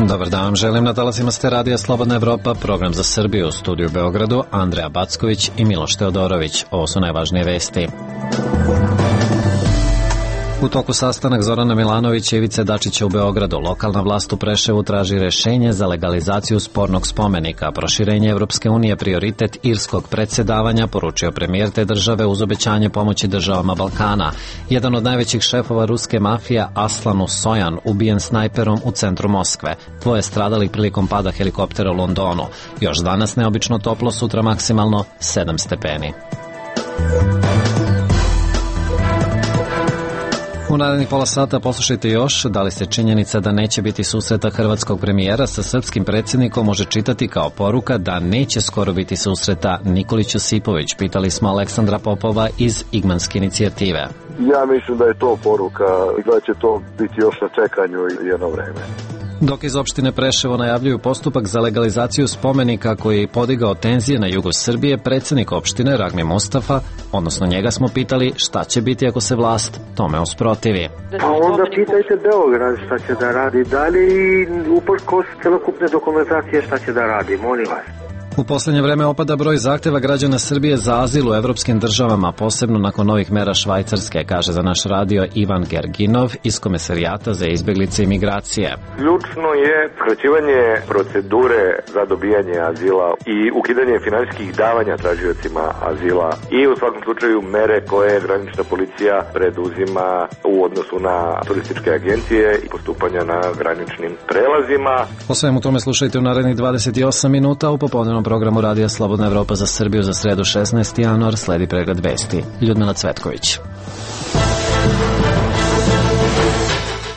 Dobar dan vam želim, na talasima ste Radija Slobodna Evropa, program za Srbiju, u studiju u Beogradu, Andreja Backović i Miloš Teodorović. Ovo su najvažnije vesti. U toku sastanak Zorana Milanovića i Ivice Dačića u Beogradu, lokalna vlast u Preševu traži rešenje za legalizaciju spornog spomenika. Proširenje Evropske unije prioritet irskog predsjedavanja, poručio premijer te države uz obećanje pomoći državama Balkana. Jedan od najvećih šefova ruske mafije, Aslan Usojan, ubijen snajperom u centru Moskve. 2 stradali prilikom pada helikoptera u Londonu. Još danas neobično toplo, sutra maksimalno 7 stepeni. U narednih pola sata poslušajte još da li se činjenica da neće biti susreta hrvatskog premijera sa srpskim predsjednikom može čitati kao poruka da neće skoro biti susreta Nikolić Josipović. Pitali smo Aleksandra Popova iz Igmanske inicijative. Ja mislim da je to poruka i da će to biti još na čekanju jedno vreme. Dok iz opštine Preševo najavljuju postupak za legalizaciju spomenika koji je podigao tenzije na jugu Srbije, predsjednik opštine Ragmi Mustafa, odnosno njega smo pitali šta će biti ako se vlast tome usprotivi. Pa onda pitajte Beograd šta će da radi dalje i uprkos celokupne dokumentacije šta će da radi, molim vas. U posljednje vreme opada broj zahteva građana Srbije za azil u evropskim državama, posebno nakon novih mera Švajcarske, kaže za naš radio Ivan Gerginov iz Komesarijata za izbjeglice i migracije. Ključno je skraćivanje procedure za dobijanje azila i ukidanje finansijskih davanja tražiocima azila i u svakom slučaju mere koje granična policija preduzima u odnosu na turističke agencije i postupanja na graničnim prelazima. O svemu tome slušajte u narednih 28 minuta u popodnevnom programu Radija Slobodna Evropa za Srbiju za sredu 16. januar. Sledi pregled vesti. Ljudmila Cvetković.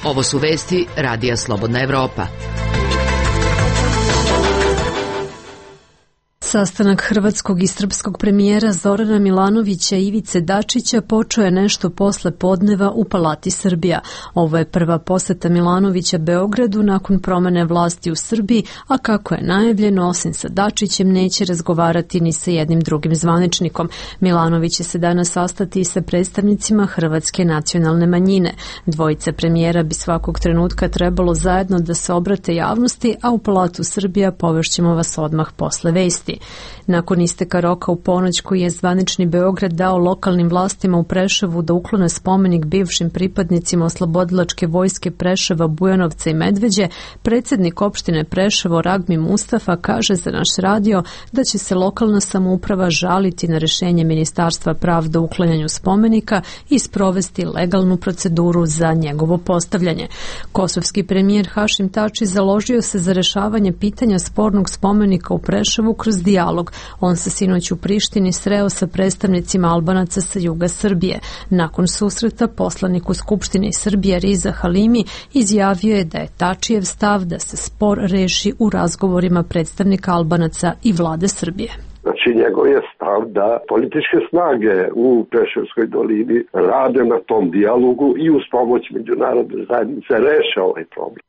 Ovo su vesti Radija Slobodna Evropa. Sastanak hrvatskog i srpskog premijera Zorana Milanovića i Ivice Dačića počeo je nešto posle podneva u Palati Srbija. Ovo je prva poseta Milanovića Beogradu nakon promene vlasti u Srbiji, a kako je najavljeno, osim sa Dačićem neće razgovarati ni sa jednim drugim zvaničnikom. Milanović će se danas sastati i sa predstavnicima hrvatske nacionalne manjine. Dvojica premijera bi svakog trenutka trebalo zajedno da se obrate javnosti, a u Palatu Srbija povešćemo vas odmah posle vesti. Nakon isteka roka u ponoć koji je zvanični Beograd dao lokalnim vlastima u Preševu da uklone spomenik bivšim pripadnicima oslobodilačke vojske Preševa, Bujanovca i Medveđe, predsjednik opštine Preševo Ragmi Mustafa kaže za naš radio da će se lokalna samouprava žaliti na rešenje Ministarstva pravde o uklanjanju spomenika i sprovesti legalnu proceduru za njegovo postavljanje. Kosovski premijer Hašim Tači založio se za rešavanje pitanja spornog spomenika u Preševu kroz dijalog. On se sinoć u Prištini sreo sa predstavnicima Albanaca sa juga Srbije. Nakon susreta poslanik u Skupštini Srbije Riza Halimi izjavio je da je Tačijev stav da se spor reši u razgovorima predstavnika Albanaca i vlade Srbije. Znači, njegov je stav da političke snage u Preševskoj dolini rade na tom dijalogu i uz pomoć međunarodne zajednice reše ovaj problem.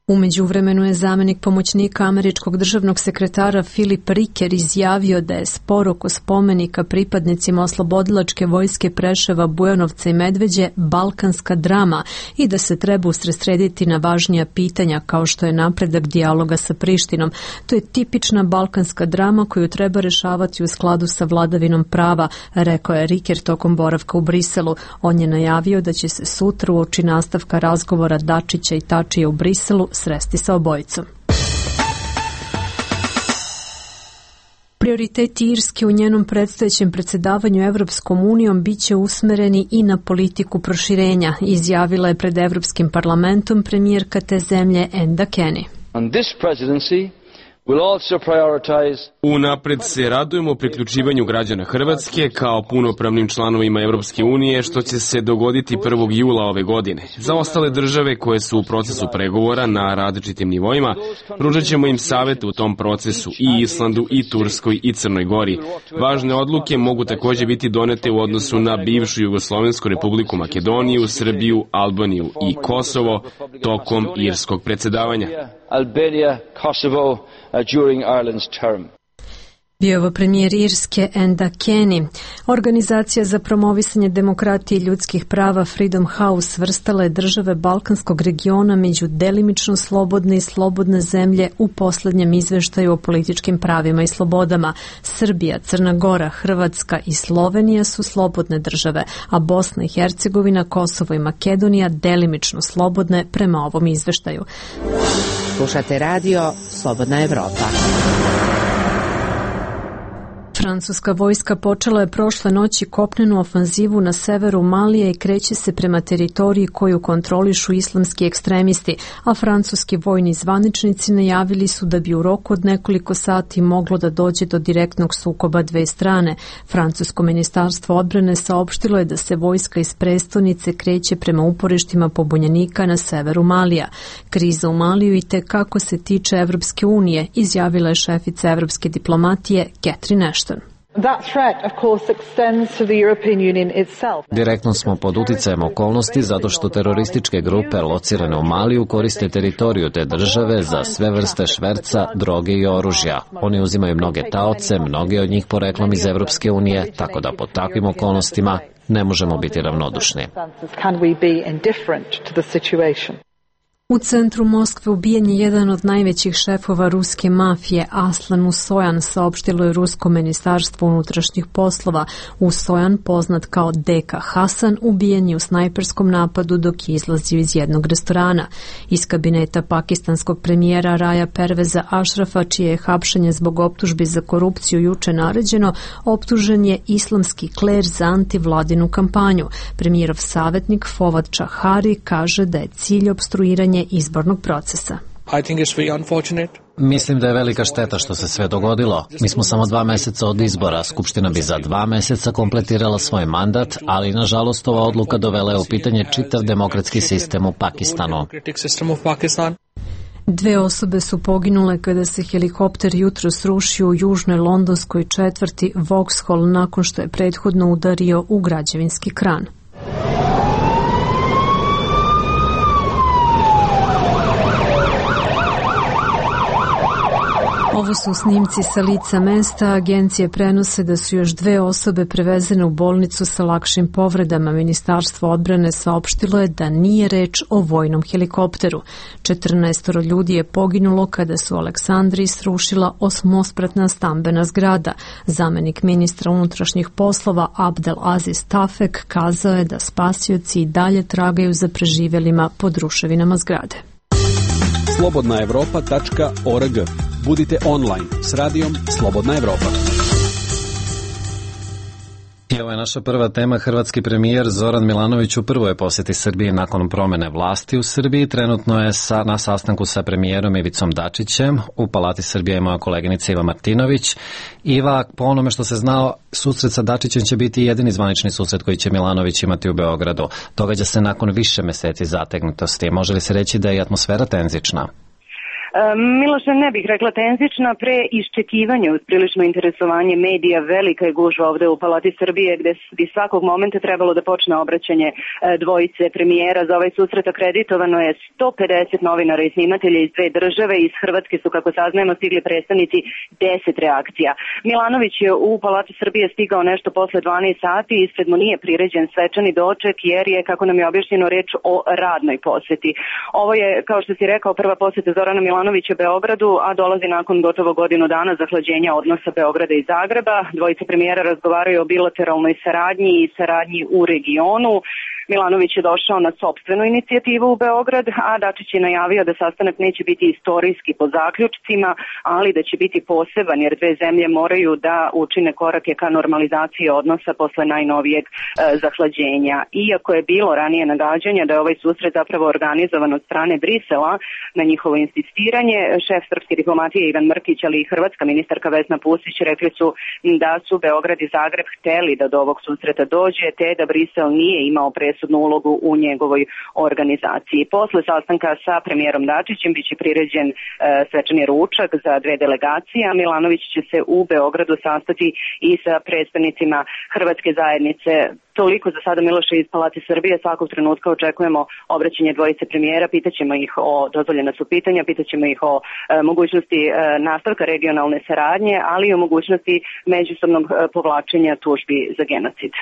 U međuvremenu je zamenik pomoćnika američkog državnog sekretara Filip Riker izjavio da je spor oko spomenika pripadnicima oslobodilačke vojske Preševa, Bujanovca i Medveđe balkanska drama i da se treba usredsrediti na važnija pitanja kao što je napredak dijaloga sa Prištinom. To je tipična balkanska drama koju treba rešavati u skladu sa vladavinom prava, rekao je Riker tokom boravka u Briselu. On je najavio da će se sutra uoči nastavka razgovora Dačića i Tačija u Briselu sresti sa obojicom. Prioriteti Irske u njenom predstojećem predsjedavanju Evropskom unijom biće usmereni i na politiku proširenja, izjavila je pred Evropskim parlamentom premijerka te zemlje Enda Kenny. Unapred se radujemo priključivanju građana Hrvatske kao punopravnim članovima Evropske unije, što će se dogoditi 1. jula ove godine. Za ostale države koje su u procesu pregovora na različitim nivoima, pružat ćemo im savjet u tom procesu i Islandu, i Turskoj, i Crnoj Gori. Važne odluke mogu također biti donete u odnosu na bivšu Jugoslovensku republiku Makedoniju, Srbiju, Albaniju i Kosovo tokom irskog predsjedavanja. Albania, Kosovo, during Ireland's term. Bio ovo premijer Irske Enda Kenny. Organizacija za promovisanje demokratije i ljudskih prava Freedom House svrstala je države Balkanskog regiona među delimično slobodne i slobodne zemlje u poslednjem izveštaju o političkim pravima i slobodama. Srbija, Crna Gora, Hrvatska i Slovenija su slobodne države, a Bosna i Hercegovina, Kosovo i Makedonija delimično slobodne prema ovom izveštaju. Slušate radio Slobodna Evropa. Francuska vojska počela je prošle noći kopnenu ofanzivu na severu Malija i kreće se prema teritoriji koju kontrolišu islamski ekstremisti, a francuski vojni zvaničnici najavili su da bi u roku od nekoliko sati moglo da dođe do direktnog sukoba dve strane. Francusko ministarstvo odbrane saopštilo je da se vojska iz prestonice kreće prema uporištima pobunjenika na severu Malija. Kriza u Maliju i te kako se tiče Evropske unije, izjavila je šefica evropske diplomatije Catherine Ashton. Direktno smo pod uticajem okolnosti zato što terorističke grupe locirane u Maliju koriste teritoriju te države za sve vrste šverca, droge i oružja. Oni uzimaju mnoge taoce, mnoge od njih poreklom iz Evropske unije, tako da pod takvim okolnostima ne možemo biti ravnodušni. U centru Moskve ubijen je jedan od najvećih šefova ruske mafije, Aslan Usojan, saopštilo je Rusko ministarstvo unutrašnjih poslova. Usojan, poznat kao Deka Hasan, ubijen je u snajperskom napadu dok je izlazio iz jednog restorana. Iz kabineta pakistanskog premijera Raja Perveza Ašrafa, čije je hapšenje zbog optužbi za korupciju juče naređeno, optužen je islamski kler za antivladinu kampanju. Premijerov savjetnik Fawad Chahari kaže da je cilj opstruiranje izbornog procesa. Mislim da je velika šteta što se sve dogodilo. Mi smo samo 2 meseca od izbora. Skupština bi za 2 meseca kompletirala svoj mandat, ali nažalost ova odluka dovela je u pitanje čitav demokratski sistem u Pakistanu. 2 osobe su poginule kada se helikopter jutro srušio u južnoj londonskoj četvrti Vauxhall nakon što je prethodno udario u građevinski kran. Ovo su snimci sa lica mesta. Agencije prenose da su još 2 osobe prevezene u bolnicu sa lakšim povredama. Ministarstvo odbrane saopštilo je da nije reč o vojnom helikopteru. 14 ljudi je poginulo kada su u Aleksandriji srušila 8-spratna stambena zgrada. Zamenik ministra unutrašnjih poslova Abdel Aziz Tafek kazao je da spasioci i dalje tragaju za preživjelima pod ruševinama zgrade. slobodnaevropa.org. Budite online s radijom Slobodna Evropa. I ovo je naša prva tema. Hrvatski premijer Zoran Milanović u prvoj posjeti Srbiji nakon promene vlasti u Srbiji. Trenutno je na sastanku sa premijerom Ivicom Dačićem. U Palati Srbije je moja koleginica Iva Martinović. Iva, po onome što se znao, susret sa Dačićem će biti jedini zvanični susret koji će Milanović imati u Beogradu. Događa se nakon više meseci zategnutosti. Može li se reći da je atmosfera tenzična? Miloše, ne bih rekla tenzična, pre iščekivanje uz prilično interesovanje medija, velika je gužva ovde u Palati Srbije gde bi svakog momenta trebalo da počne obraćanje dvojice premijera. Za ovaj susret akreditovano je 150 novinara i snimatelja iz 2 države. Iz Hrvatske su, kako saznajemo, stigli predstavnici 10 reakcija. Milanović je u Palati Srbije stigao nešto posle 12 sati, ispred mu nije priređen svečani doček jer je, kako nam je objašnjeno, reč o radnoj poseti. Ovo je, kao što si rekao, prva poseta Zorana Milanovića Beogradu, a dolazi nakon gotovo godinu dana zahlađenja odnosa Beograda i Zagreba. Dvojice premijera razgovaraju o bilateralnoj saradnji i saradnji u regionu. Milanović je došao na sopstvenu inicijativu u Beograd, a Dačić je najavio da sastanak neće biti istorijski po zaključcima, ali da će biti poseban jer 2 zemlje moraju da učine korake ka normalizaciji odnosa posle najnovijeg zahlađenja. Iako je bilo ranije nagađanja da je ovaj susret zapravo organizovan od strane Brisela, na njihovo insistiranje, šef srpske diplomatije Ivan Mrkić, ali i hrvatska ministarka Vesna Pusić rekli su da su Beograd i Zagreb hteli da do ovog susreta dođe, te da Brisel nije imao presudnu presudnu ulogu u njegovoj organizaciji. Posle sastanka sa premijerom Dačićem biće priređen svečani ručak za 2 delegacije, a Milanović će se u Beogradu sastati i sa predstavnicima hrvatske zajednice. Toliko za sada, Miloše, iz Palate Srbije. Svakog trenutka očekujemo obraćanje dvojice premijera, pitaćemo ih o, dozvoljena su pitanja, pitaćemo ih o mogućnosti nastavka regionalne saradnje, ali i o mogućnosti međusobnog povlačenja tužbi za genocid.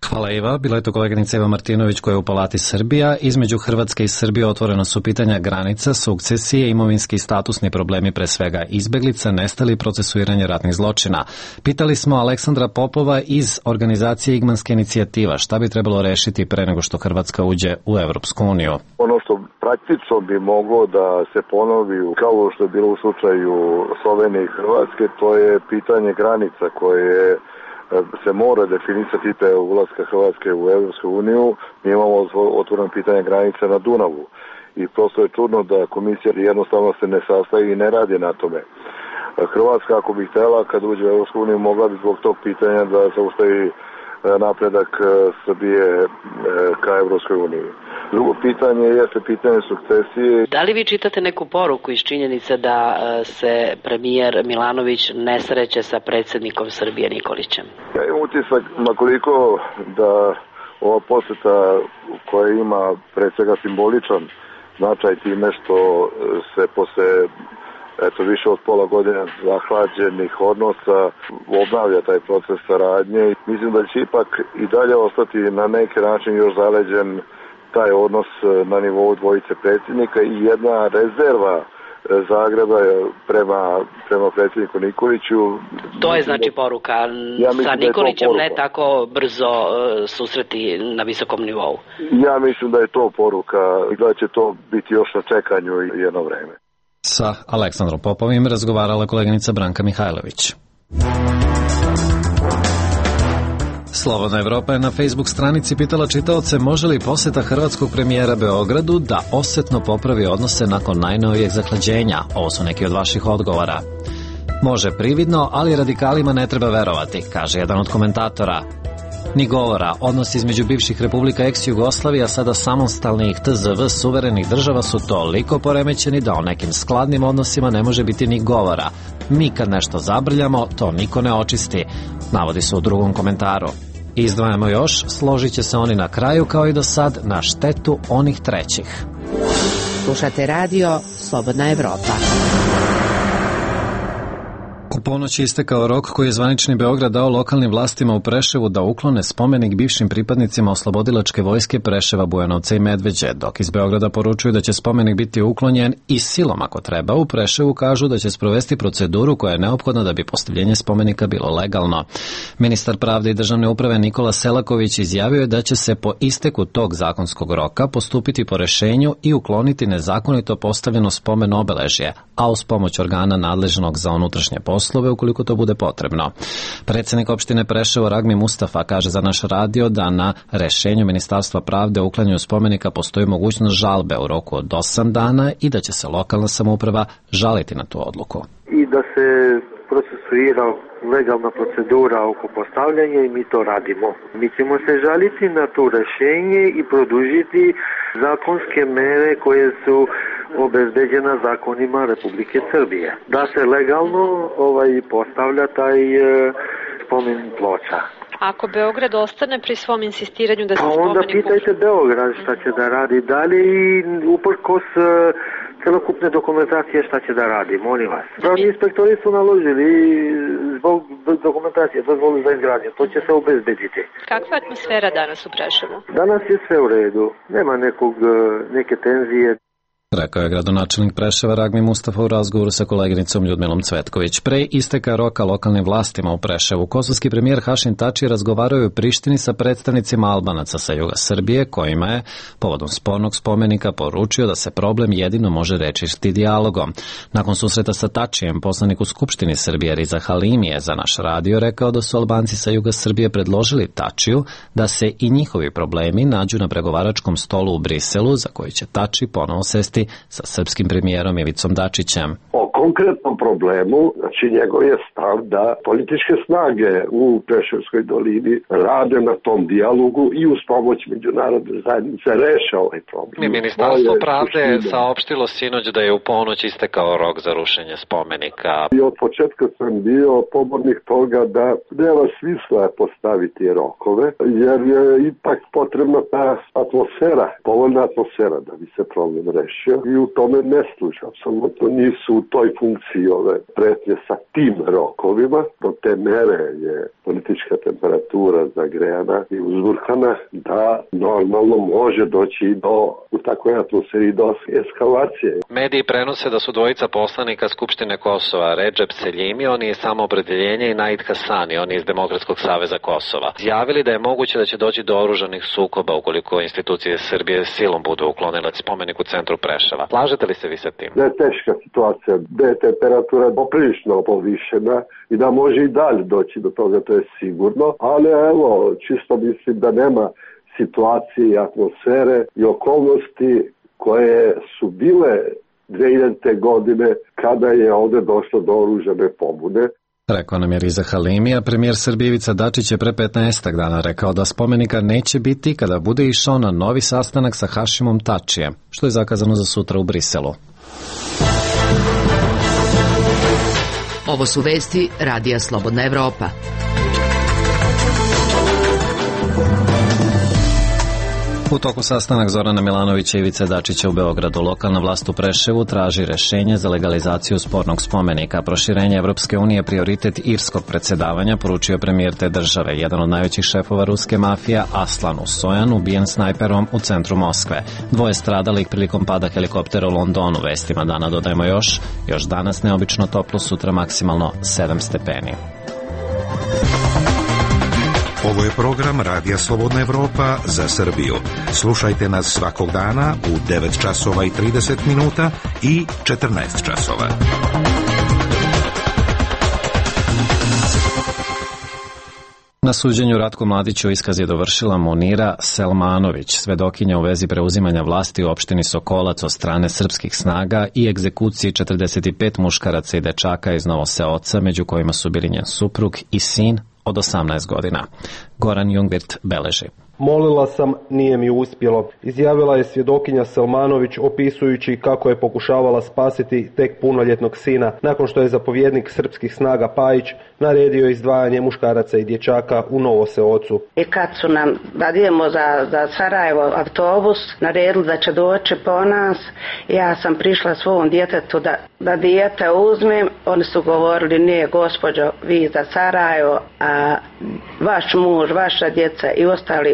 Hvala Iva. Bila je to koleginica Eva Martinović koja je u Palati Srbija. Između Hrvatske i Srbije otvorena su pitanja granica, sukcesije, imovinski i statusni problemi, pre svega izbeglica, nestali i procesuiranje ratnih zločina. Pitali smo Aleksandra Popova iz organizacije Igmanska inicijativa šta bi trebalo rešiti pre nego što Hrvatska uđe u Evropsku uniju. Ono što praktično bi moglo da se ponovi kao što je bilo u slučaju Slovenije i Hrvatske, to je pitanje granica koje se mora definisati pre ulaska Hrvatske u Evropsku uniju. Mi imamo otvoreno pitanje granice na Dunavu i prosto je čudno da komisija jednostavno se ne sastaje i ne radi na tome. Hrvatska, ako bi htjela, kad uđe u Evropsku uniju, mogla bi zbog tog pitanja da zaustavi napredak Srbije ka Evropskoj uniji. Drugo pitanje jeste pitanje sukcesije. Da li vi čitate neku poruku iz činjenice da se premijer Milanović ne sreće sa predsjednikom Srbije Nikolićem? Ja imam utisak, makoliko da ova poseta koja ima pre svega simboličan značaj time što se posle više od pola godine zahlađenih odnosa obnavlja taj proces saradnje. Mislim da će ipak i dalje ostati na neki način još zaleđen taj odnos na nivou dvojice predsjednika i jedna rezerva Zagreba prema predsjedniku Nikoliću. To je znači poruka. Sa Nikolićem ne tako brzo susreti na visokom nivou. Ja mislim da je to poruka i da će to biti još na čekanju jedno vreme. Sa Aleksandrom Popovim razgovarala koleginica Branka Mihajlović. Slobodna Evropa je na Facebook stranici pitala čitaoce može li poseta hrvatskog premijera Beogradu da osetno popravi odnose nakon najnovijeg zahlađenja. Ovo su neki od vaših odgovora. Može prividno, ali radikalima ne treba verovati, kaže jedan od komentatora. Ni govora, odnos između bivših republika ex-Jugoslavija, sada samostalnih TZV suverenih država su toliko poremećeni da o nekim skladnim odnosima ne može biti ni govora. Mi kad nešto zabrljamo, to niko ne očisti, navodi se u drugom komentaru. Izdvajamo još, složit će se oni na kraju kao i do sad na štetu onih trećih. Slušate radio Slobodna Evropa. U ponoći istekao rok koji je zvanični Beograd dao lokalnim vlastima u Preševu da uklone spomenik bivšim pripadnicima oslobodilačke vojske Preševa, Bujanovca i Medveđe, dok iz Beograda poručuju da će spomenik biti uklonjen i silom ako treba. U Preševu kažu da će sprovesti proceduru koja je neophodna da bi postavljenje spomenika bilo legalno. Ministar pravde i državne uprave Nikola Selaković izjavio je da će se po isteku tog zakonskog roka postupiti po rešenju i ukloniti nezakonito postavljeno spomen obeležje, a uz pomoć organa nadležnog za unutrašnje poslove ukoliko to bude potrebno. Predsjednik opštine Preševo Ragmi Mustafa kaže za naš radio da na rešenju Ministarstva pravde o uklanjanju spomenika postoji mogućnost žalbe u roku od 8 dana i da će se lokalna samouprava žaliti na tu odluku. I da se procesuira legalna procedura oko postavljanja i mi to radimo. Mi ćemo se žaliti na to rešenje i produžiti zakonske mere koje su obezbeđena zakonima Republike Srbije. Da se legalno postavlja taj spomen ploča. Ako Beograd ostane pri svom insistiranju da se spomenik... Onda pitajte Beograd šta će da radi dalje i uprkos celokupne dokumentacije šta će da radi, molim vas. Pravni inspektori su naložili zbog dokumentacije, dozvolu za izgradnje, to će se obezbediti. Kakva je atmosfera danas u Preševu? Danas je sve u redu, nema neke tenzije. Rekao je gradonačelnik Preševa Ragmi Mustafa u razgovoru sa koleginicom Ljudmilom Cvetković. Pre isteka roka lokalnim vlastima u Preševu, kosovski premijer Hašim Tači razgovarao je u Prištini sa predstavnicima Albanaca sa juga Srbije, kojima je povodom spornog spomenika poručio da se problem jedino može rešiti dijalogom. Nakon susreta sa Tačijem, poslanik u Skupštini Srbije Riza Halimi je za naš radio rekao da su Albanci sa juga Srbije predložili Tačiju da se i njihovi problemi nađu na pregovaračkom stolu u Briselu, za koji će Tači ponovo sesti sa srpskim premijerom Ivicom Dačićem. Oko konkretnom problemu, znači njegov je stav da političke snage u Preševskoj dolini rade na tom dijalogu i uz pomoć međunarodne zajednice reše ovaj problem. Ministarstvo pravde je saopštilo sinoć da je u ponoć istekao rok za rušenje spomenika. I od početka sam bio pobornik toga da nema smisla postaviti rokove, jer je ipak potrebna ta atmosfera, povoljna atmosfera da bi se problem rešio i u tome ne služi. Apsolutno nisu u toj funkciji ove pretnje sa tim rokovima. Do te mere je politička temperatura zagrejana i uzburkana da normalno može doći u takvoj atmosferi do eskalacije. Mediji prenose da su dvojica poslanika Skupštine Kosova, Redžep Seljimi, on je Samoopredeljenje, i Naid Hasani, on je iz Demokratskog saveza Kosova, izjavili da je moguće da će doći do oružanih sukoba ukoliko institucije Srbije silom budu uklonile spomenik u centru Preševa. Slažete li se vi sa tim? Da je teška situacija, da je temperatura poprilično povišena i da može i dalje doći do toga, to je sigurno, ali evo, čisto mislim da nema situacije i atmosfere i okolnosti koje su bile 2000. godine kada je ovde došlo do oružane pobune. Rekao nam je Riza Halimi, a premijer Srbije Ivica Dačić je pre 15 dana rekao da spomenika neće biti kada bude išao na novi sastanak sa Hašimom Tačijem, što je zakazano za sutra u Briselu. Ovo su vesti Radija Slobodna Evropa. U toku sastanak Zorana Milanovića i Ivice Dačića u Beogradu, lokalna vlast u Preševu traži rešenje za legalizaciju spornog spomenika. Proširenje Evropske unije prioritet irskog predsjedavanja, poručio premijer te države. Jedan od najvećih šefova ruske mafije, Aslan Usojan, ubijen snajperom u centru Moskve. Dvoje stradalih prilikom pada helikoptera u Londonu. Vestima dana dodajemo još danas neobično toplo, sutra maksimalno 7 stepeni. Ovo je program Radija Slobodna Evropa za Srbiju. Slušajte nas svakog dana u 9 časova i 30 minuta i 14 časova. Na suđenju Ratku Mladiću iskaz je dovršila Munira Selmanović, svedokinja u vezi preuzimanja vlasti u opštini Sokolac od strane srpskih snaga i egzekuciji 45 muškaraca i dečaka iz Novoseoca, među kojima su bili njen suprug i sin od 18 godina. Goran Jungwirth beleži. Molila sam, nije mi uspjelo, izjavila je svjedokinja Selmanović opisujući kako je pokušavala spasiti tek punoljetnog sina nakon što je zapovjednik srpskih snaga Pajić naredio izdvajanje muškaraca i dječaka u Novoseocu. I kad su nam, da idemo za Sarajevo autobus, naredili da će doći po nas, ja sam prišla svom djetetu da dijete uzmem, oni su govorili, nije gospođo, vi za Sarajevo, a vaš muž, vaša djeca i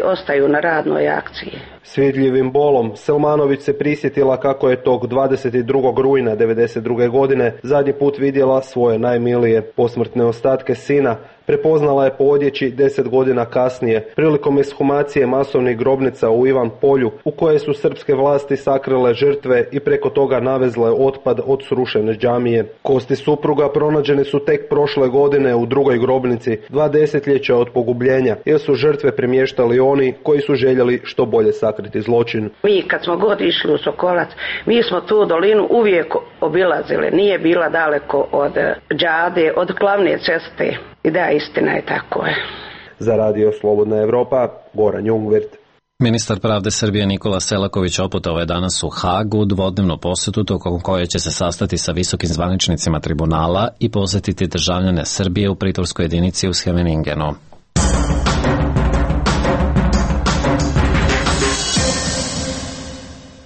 ostaju na radnoj akciji. Svidljivim bolom Selmanović se prisjetila kako je tog 22. rujna 1992. godine zadnji put vidjela svoje najmilije posmrtne ostatke sina. Prepoznala je po odjeći 10 godina kasnije, prilikom ekshumacije masovnih grobnica u Ivan Polju, u koje su srpske vlasti sakrile žrtve i preko toga navezle otpad od srušene džamije. Kosti supruga pronađene su tek prošle godine u drugoj grobnici, 2 desetljeća od pogubljenja, jer su žrtve premještali oni koji su željeli što bolje sakriti zločin. Mi kad smo god išli u Sokolac, mi smo tu dolinu uvijek obilazili, nije bila daleko od džade, od glavne ceste. I da, istina je, tako je. Za Radio Slobodna Evropa, Goran Jungwirth. Ministar pravde Srbije Nikola Selaković oputovao je danas u Hagu dvodnevnu posetu tokom koje će se sastati sa visokim zvaničnicima tribunala i posjetiti državljane Srbije u pritvorskoj jedinici u Scheveningenu.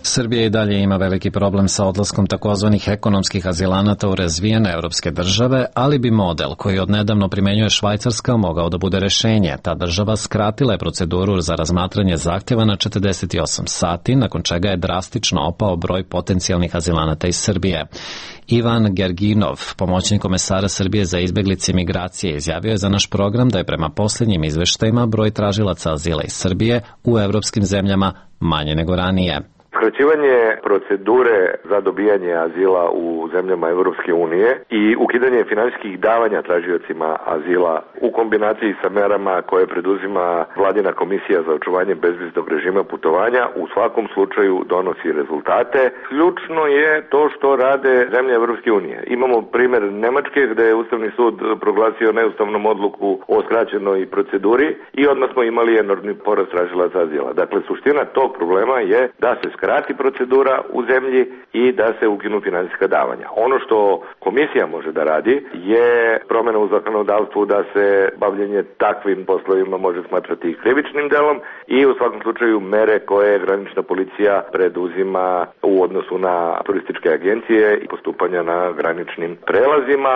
Srbija i dalje ima veliki problem sa odlaskom takozvanih ekonomskih azilanata u razvijene evropske države, ali bi model koji odnedavno primenjuje Švajcarska mogao da bude rešenje. Ta država skratila je proceduru za razmatranje zahtjeva na 48 sati, nakon čega je drastično opao broj potencijalnih azilanata iz Srbije. Ivan Gerginov, pomoćnik komesara Srbije za izbeglice i migracije, izjavio je za naš program da je prema posljednjim izveštajima broj tražilaca azila iz Srbije u evropskim zemljama manje nego ranije. Skraćivanje procedure za dobijanje azila u zemljama Evropske unije i ukidanje finansijskih davanja tražiocima azila u kombinaciji sa merama koje preduzima Vladina komisija za očuvanje bezviznog režima putovanja u svakom slučaju donosi rezultate. Ključno je to što rade zemlje Evropske unije. Imamo primjer Nemačke gde je Ustavni sud proglasio neustavnom odluku o skraćenoj proceduri i odmah smo imali enormni porast tražilaca azila. Dakle, suština tog problema je da se skrati procedura u zemlji i da se ukinu finansijska davanja. Ono što komisija može da radi je promjena u zakonodavstvu da se bavljenje takvim poslovima može smatrati krivičnim delom i u svakom slučaju mere koje granična policija preduzima u odnosu na turističke agencije i postupanja na graničnim prelazima.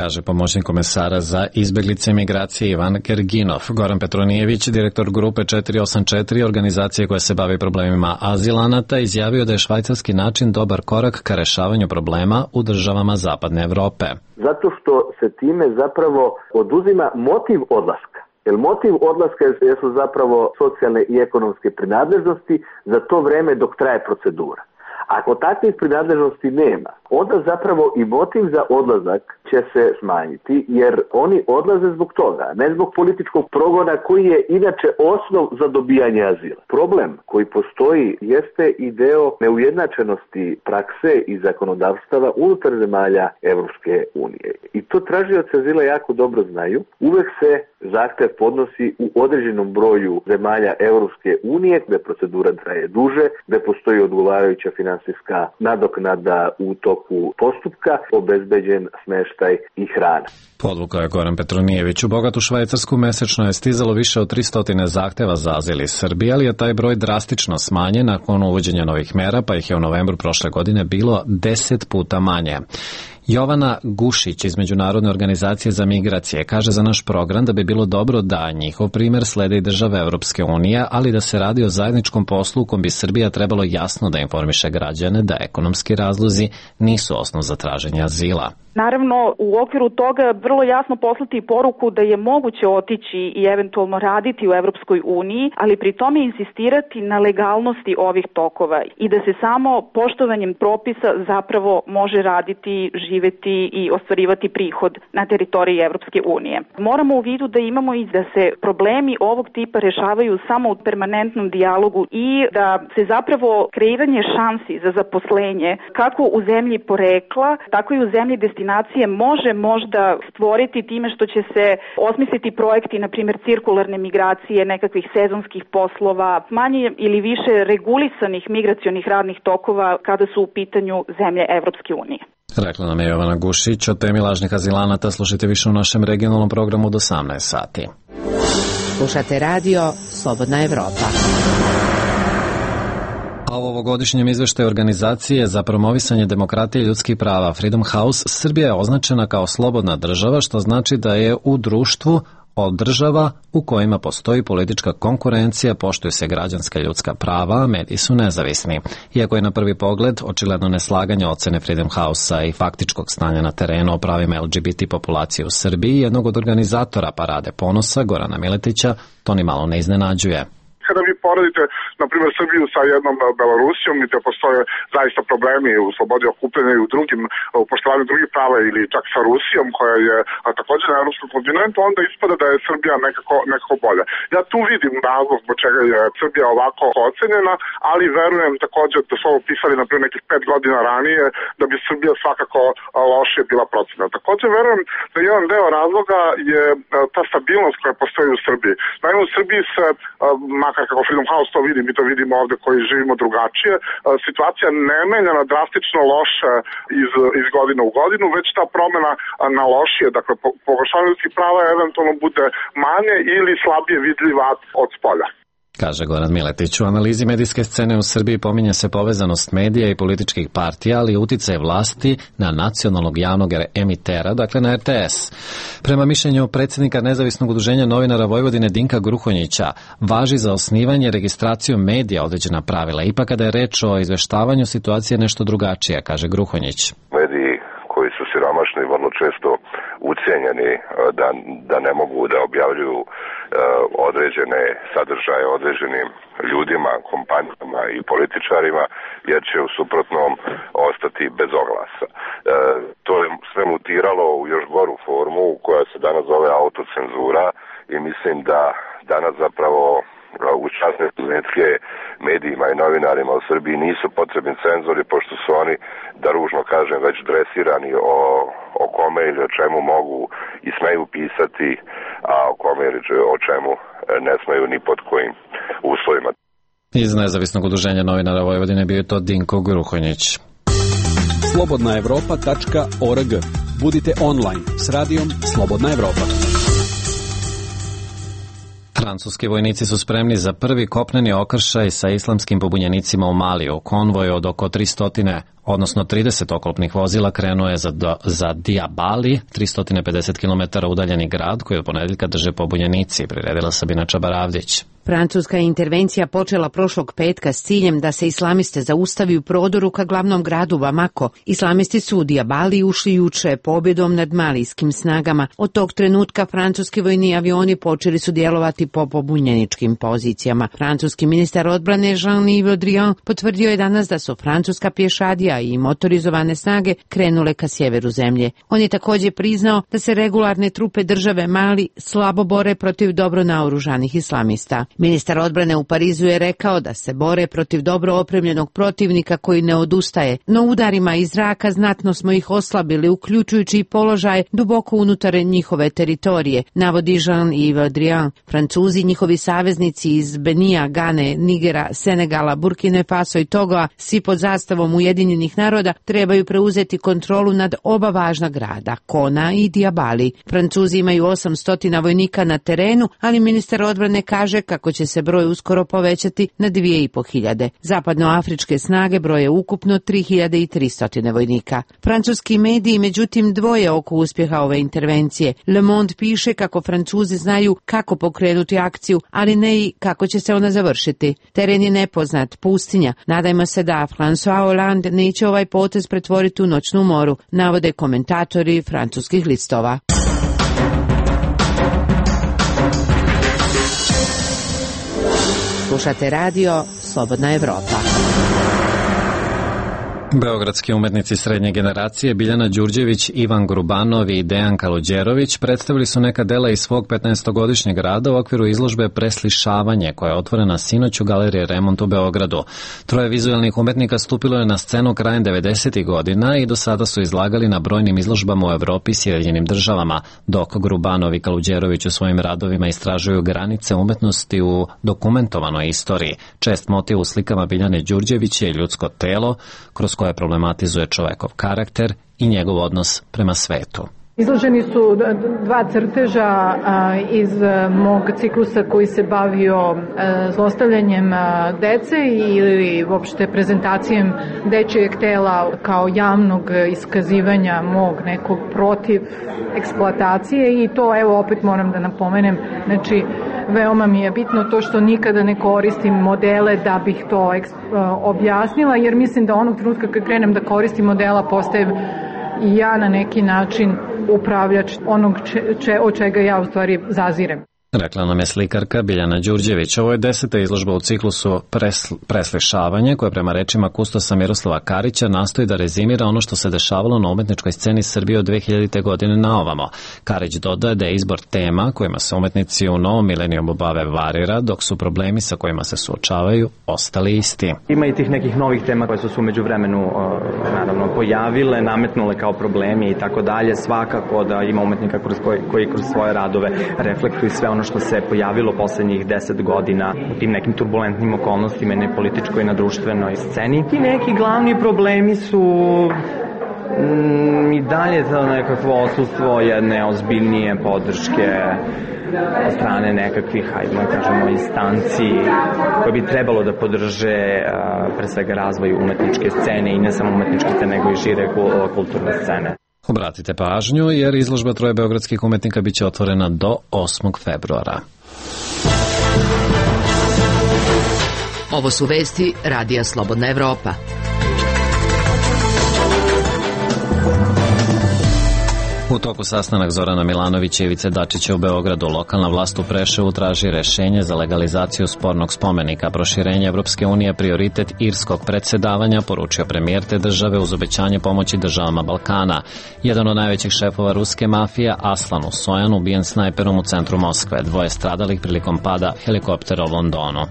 Kaže pomoćnik komesara za izbeglice i migracije Ivan Gerginov. Goran Petronijević, direktor grupe 484, organizacije koja se bavi problemima azilanata, izjavio da je švajcarski način dobar korak ka rešavanju problema u državama Zapadne Evrope. Zato što se time zapravo oduzima motiv odlaska. Jer motiv odlaska jesu zapravo socijalne i ekonomske prinadležnosti za to vreme dok traje procedura. Ako takvih prinadležnosti nema, onda zapravo i motiv za odlazak će se smanjiti, jer oni odlaze zbog toga, ne zbog političkog progona koji je inače osnov za dobijanje azila. Problem koji postoji jeste i deo neujednačenosti prakse i zakonodavstava unutar zemalja Evropske unije. I to tražioci azila jako dobro znaju. Uvek se zahtev podnosi u određenom broju zemalja Evropske unije, gde procedura traje duže, gde postoji odgovarajuća finansijska nadoknada u toku postupka, obezbeđen smeštaj i hrana. Podvukao je Goran Petronijević. U bogatu Švajcarsku mesečno je stizalo više od 300 zahteva za azil iz Srbije, ali je taj broj drastično smanjen nakon uvođenja novih mera, pa ih je u novembru prošle godine bilo 10 puta manje. Jovana Gušić iz Međunarodne organizacije za migracije kaže za naš program da bi bilo dobro da njihov primer slede i države Evropske unije, ali da se radi o zajedničkom poslu u kom bi Srbija trebalo jasno da informiše građane da ekonomski razlozi nisu osnov za traženje azila. Naravno, u okviru toga vrlo jasno poslati poruku da je moguće otići i eventualno raditi u Evropskoj uniji, ali pri tome insistirati na legalnosti ovih tokova i da se samo poštovanjem propisa zapravo može raditi, živeti i ostvarivati prihod na teritoriji Evropske unije. Moramo u vidu da imamo i da se problemi ovog tipa rešavaju samo u permanentnom dijalogu i da se zapravo kreiranje šansi za zaposlenje kako u zemlji porekla, tako i u zemlji destinacije može možda stvoriti time što će se osmisliti projekti, na primjer cirkularne migracije, nekakvih sezonskih poslova, manje ili više regulisanih migracionih radnih tokova kada su u pitanju zemlje Evropske unije. Rekla nam je Jovana Gušić. O temi lažnih azilanata slušajte više u našem regionalnom programu do 18 sati. Slušate radio Slobodna Evropa. A u ovogodišnjem izveštaju organizacije za promovisanje demokratije i ljudskih prava Freedom House, Srbija je označena kao slobodna država, što znači da je u društvu od država u kojima postoji politička konkurencija, poštuju se građanska ljudska prava, a mediji su nezavisni. Iako je na prvi pogled očigledno neslaganje ocene Freedom House-a i faktičkog stanja na terenu o pravima LGBT populacije u Srbiji, jednog od organizatora Parade ponosa, Gorana Miletića, to ni malo ne iznenađuje. Kada vi poredite, na primjer, Srbiju sa jednom Belorusijom, gde postoje zaista problemi u slobodi okupljanja i u poštovanju drugih prava ili čak sa Rusijom, koja je također na evropskom kontinentu, onda ispada da je Srbija nekako bolja. Ja tu vidim razlog zbog čega je Srbija ovako ocenjena, ali verujem također da su ovo pisali, na primjer, nekih 5 godina ranije, da bi Srbija svakako lošije bila procenjena. Također verujem da jedan deo razloga je ta stabilnost koja postoji u Srbiji. Naime, u Srbiji se, makar kako Freedom House to vidi, mi to vidimo ovde koji živimo drugačije, situacija ne menja na drastično loše iz godine u godinu, već ta promena na lošije, dakle pogoršavanje ljudskih prava eventualno bude manje ili slabije vidljiva od spolja. Kaže Goran Miletić. U analizi medijske scene u Srbiji pominje se povezanost medija i političkih partija, ali i uticaj vlasti na nacionalnog javnog emitera, dakle na RTS. Prema mišljenju predsjednika Nezavisnog udruženja novinara Vojvodine Dinka Gruhonjića, važi za osnivanje i registraciju medija određena pravila. Ipak kada je reč o izveštavanju, situacija je nešto drugačija, kaže Gruhonjić. Mediji koji su siromašni i vrlo često ucijenjeni da ne mogu da objavljuju određene sadržaje određenim ljudima, kompanijama i političarima, jer će u suprotnom ostati bez oglasa. To je sve mutiralo u još goru formu koja se danas zove autocenzura i mislim da danas zapravo u časne studentske medijima i novinarima u Srbiji nisu potrebni cenzori, pošto su oni, da ružno kažem, već dresirani o kome ili o čemu mogu i smeju pisati, a o kome ili o čemu ne smeju ni pod kojim uslovima. Iz Nezavisnog udruženja novinara Vojvodine bio je to Dinko Gruhonjić. slobodnaevropa.org. Budite online s radijom Slobodna Evropa. Francuski vojnici su spremni za prvi kopneni okršaj sa islamskim pobunjenicima u Maliju. Konvoj od oko 300, odnosno 30 oklopnih vozila krenuo je za Diabali, 350 km udaljeni grad koji od ponedeljka drže pobunjenici, priredila Sabina Čabaravdić. Francuska je intervencija počela prošlog petka s ciljem da se islamiste zaustavi u prodoru ka glavnom gradu Bamako. Islamisti su u Diabali ušli juče pobjedom nad malijskim snagama. Od tog trenutka francuski vojni avioni počeli su djelovati po pobunjeničkim pozicijama. Francuski ministar odbrane Jean-Yves Le Drian potvrdio je danas da su francuska pješadija i motorizovane snage krenule ka sjeveru zemlje. On je također priznao da se regularne trupe države Mali slabo bore protiv dobro naoružanih islamista. Ministar odbrane u Parizu je rekao da se bore protiv dobro opremljenog protivnika koji ne odustaje, no udarima iz zraka znatno smo ih oslabili, uključujući i položaj duboko unutar njihove teritorije, navodi Jean-Yves Le Drian. Francuzi, njihovi saveznici iz Benija, Gane, Nigera, Senegala, Burkine Faso i Togoa, svi pod zastavom Ujedinjenih naroda, trebaju preuzeti kontrolu nad oba važna grada, Kona i Diabali. Francuzi imaju 800 vojnika na terenu, ali ministar odbrane kaže kako će se broj uskoro povećati na 2500. Zapadnoafričke snage broje ukupno 3300 vojnika. Francuski mediji međutim dvoje oko uspjeha ove intervencije. Le Monde piše kako Francuzi znaju kako pokrenuti akciju, ali ne i kako će se ona završiti. Teren je nepoznat, pustinja. Nadajmo se da François Hollande neće ovaj potez pretvoriti u noćnu moru, navode komentatori francuskih listova. Slušate radio Slobodna Evropa. Beogradski umetnici srednje generacije Biljana Đurđević, Ivan Grubanov i Dejan Kaluđerović predstavili su neka dela iz svog 15-godišnjeg rada u okviru izložbe Preslišavanje, koja je otvorena sinoć u Galeriji Remont u Beogradu. Troje vizualnih umetnika stupilo je na scenu krajem 90. godina i do sada su izlagali na brojnim izložbama u Evropi i Sjedinjenim državama, dok Grubanov i Kaluđerović u svojim radovima istražuju granice umetnosti u dokumentovanoj istoriji. Čest motiv u slikama Biljane Đurđević je ljudsko telo, kroz koje problematizuje čovekov karakter i njegov odnos prema svetu. Izloženi su dva crteža iz mog ciklusa koji se bavio zlostavljanjem dece ili uopšte prezentacijem dečijeg tela kao javnog iskazivanja mog nekog protiv eksploatacije, i to evo opet moram da napomenem, znači veoma mi je bitno to što nikada ne koristim modele da bih to objasnila, jer mislim da onog trenutka kad krenem da koristim modela postajem i ja na neki način upravljač onog od čega ja u stvari zazirem. Rekla nam je slikarka Biljana Đurđević. Ovo je 10. izložba u ciklusu Preslišavanje, koja prema rečima kustosa Miroslava Karića nastoji da rezimira ono što se dešavalo na umetničkoj sceni Srbije od 2000. godine na ovamo. Karić dodaje da je izbor tema kojima se umetnici u novom milenijumu bave varira, dok su problemi sa kojima se suočavaju ostali isti. Ima i tih nekih novih tema koje su se umeđu vremenu naravno pojavile, nametnule kao problemi i tako dalje. Svakako da ima umetnika koji kroz svoje radove reflektuju sve ono što se pojavilo poslednjih 10 godina u tim nekim turbulentnim okolnostima i na političkoj i na društvenoj sceni. Ti neki glavni problemi su i dalje to nekakvo odsustvo jedne ozbiljnije podrške od strane nekakvih, hajde kažemo, instanci koje bi trebalo da podrže pre svega razvoj umetničke scene i ne samo umetničke scene, nego i šire kulturne scene. Obratite pažnju jer izložba troje beogradskih umetnika biće otvorena do 8. februara. Ovo su vesti Radija Slobodna Evropa. U toku sastanak Zorana Milanovića i Ivice Dačića u Beogradu, lokalna vlast u Preševu traži rešenje za legalizaciju spornog spomenika. Proširenje Evropske unije prioritet irskog predsedavanja, poručio premijer te države uz obećanje pomoći državama Balkana. Jedan od najvećih šefova ruske mafije, Aslan Usojan, ubijen snajperom u centru Moskve. 2 stradalih prilikom pada helikoptera u Londonu.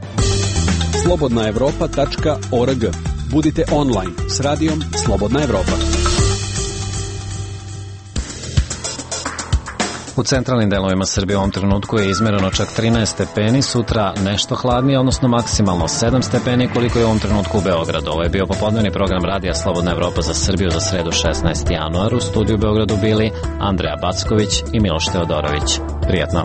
slobodnaevropa.org. Budite online s radijom Slobodna Evropa. U centralnim delovima Srbije u ovom trenutku je izmereno čak 13 stepeni, sutra nešto hladnije, odnosno maksimalno 7 stepeni koliko je u ovom trenutku u Beogradu. Ovo je bio popodnevni program Radija Slobodna Evropa za Srbiju za sredu 16. januar. U studiju u Beogradu bili Andreja Backović i Miloš Teodorović. Prijatno.